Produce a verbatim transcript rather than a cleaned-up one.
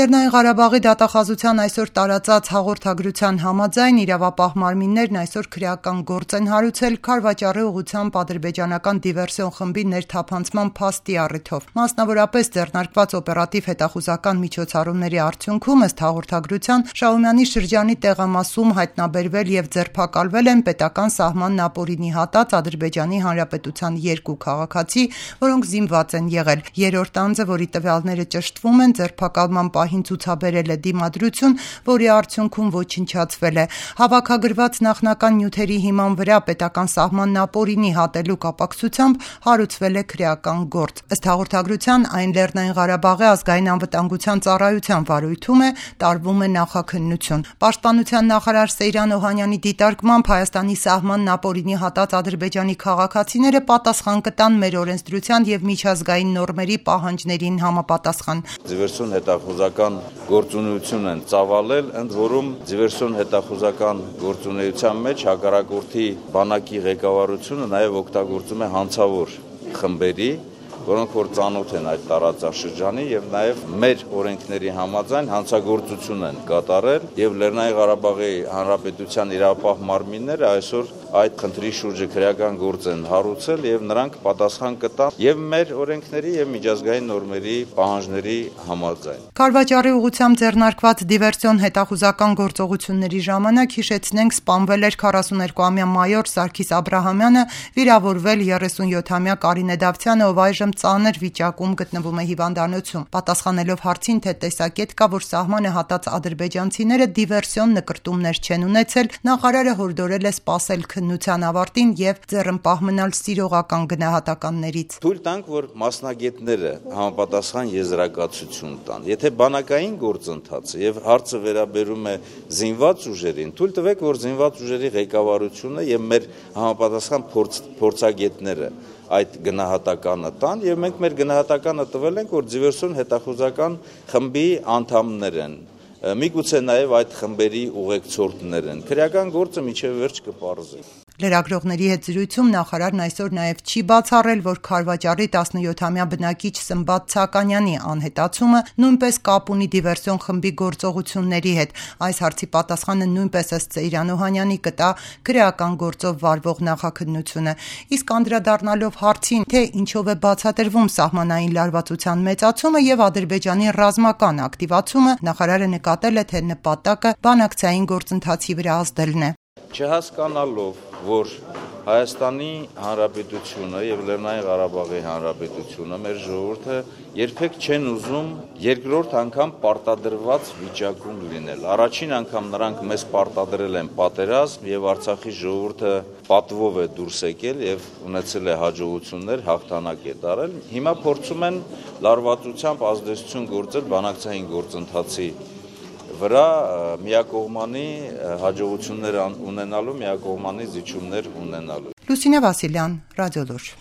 Լեռնային Ղարաբաղի դատախազության այսօր տարածած հաղորդագրության համաձայն իրավապահ մարմիններն այսօր քրեական գործ են հարուցել Քարվաճառի ուղղությամբ ադրբեջանական դիվերսիոն խմբի ներթափանցման փաստի առիթով։ Մասնավորապես ձեռնարկված օպերատիվ հետախուզական միջոցառումների արդյունքում ըստ հաղորդագրության Շահումյանի շրջանի տեղամասում հայտնաբերվել եւ ձերբակալվել են պետական սահմանն ապօրինի հատած Ադրբեջանի Հանրապետության երկու քաղաքացի, որոնք զինված են եղել։ Երրորդ անձը, որի տվյալները ճշտվում են, ձերբակալման պահին ցուցաբերել է դիմադրություն, որի արդյունքում ոչնչացվել է։ Հավաքագրված նախնական նյութերի հիման վրա պետական սահմանն ապօրինի հատելու կապակցությամբ հարուցվել է քրեական գործ։ Ըստ հաղորդագրության այն Լեռնային Ղարաբաղի ազգային անվտանգության ծառայության վարույթում է, տարվում է նախաքննություն։ Պաշտպանության նախարար Սեյրան Օհանյանի դիտարկմամբ Հայաստանի սահմանն ապօրինի հատած ադրբեջանի քաղաքացիները պատասխան կտան մեր օրենսդրության եւ միջազգային նորմերի պահանջներին համապատասխան։ Դիվերսիոն հետախուզական գործունեություն են ծավալել, ընդ որում դիվերսիոն հետախուզական գործունեության մեջ հակառակորդի բանակի ղեկավարությունը նաև օգտագործում է հանցավոր խմբերի, որոնք որ ծանոթ են այդ տարածաշրջանի եւ նաեւ մեր օրենքների համաձայն հանցագործություն են կատարել եւ Լեռնային Ղարաբաղի Հանրապետության իրավապահ մարմինները այսօր այդ խնդրի շուրջը քրեական գործ են հարուցել եւ նրանք պատասխան կտան եւ մեր օրենքների եւ միջազգային նորմերի պահանջների համաձայն։ Քարվաճառի ուղղությամբ ձեռնարկված դիվերսիոն հետախուզական գործողությունների ժամանակ հիշեցնենք սպանվել էր քառասուներկուամյա մայոր Սարգիս Աբրահամյանը, վիրավորվել երեսունյոթամյա Կարինե Դավթյանը, ով այժմ ծանր վիճակում գտնվում է հիվանդանոցում։ Պատասխանելով հարցին, թե տեսակետ կա, որ սահմանը հատած ադրբեջանցիները դիվերսիոն նկրտումներ չեն ունեցել, նախարարը հորդորել է սպասել քննության ավարտին եւ ձեռնպահ մնալ սիրողական գնահատականներից։ Թույլ տանք, որ մասնագետները համապատասխան եզրակացություն տան։ Եթե բանակային գործընթացը եւ հարցը վերաբերում է զինված ուժերին, թույլ տվեք, որ զինված ուժերի ղեկավարությունը եւ մեր համապատասխան փորձ, փորձագետները այդ գնահատականը տան եւ մենք մեր գնահատականը տվել ենք, որ դիվերսիոն հետախուզական խմբի անդամներ են, միգուցե նաեւ այդ խմբերի ուղեկցորդներ են։ Քրեական գործը միջև վերջ կպարզի։ Լրագրողների հետ զրույցում նախարարն այսօր նաև չի բացառել, որ Քարվաճառի տասնյոթամյա բնակիչ Սմբատ Ցականյանի անհետացումը նույնպես կապ ունի դիվերսիոն խմբի գործողությունների հետ։ Այս հարցի պատասխանը նույնպես ըստ Սեյրան Օհանյանի կտա քրեական գործով վարվող նախաքննությունը։ Իսկ անդրադառնալով հարցին, թե ինչով է բացատրվում սահմանային լարվածության մեծացումը եւ Ադրբեջանի ռազմական ակտիվացումը, նախարարը նկատել է, թե նպատակը բանակցային գործընթացի վրա ազդելն է։ Չհասկանալով, որ Հայաստանի Հանրապետությունը եւ Լեռնային Ղարաբաղի Հանրապետությունը մեր ժողովուրդը երբեք չեն ուզում երկրորդ անգամ պարտադրված վիճակում լինել։ Առաջին անգամ նրանք մեզ պարտադրել են պատերազմ եւ Արցախի ժողովուրդը պատվով է դուրս եկել եւ ունեցել է հաջողություններ, հաղթանակ է տարել։ Հիմա փորձում են լարվածությամբ ազդեցություն գործել բանակցային գործընթացի վրա միակողմանի հաջողություններ ունենալու, միակողմանի զիջումներ ունենալու։ Լուսինե Վասիլյան, Ռադիոլուր։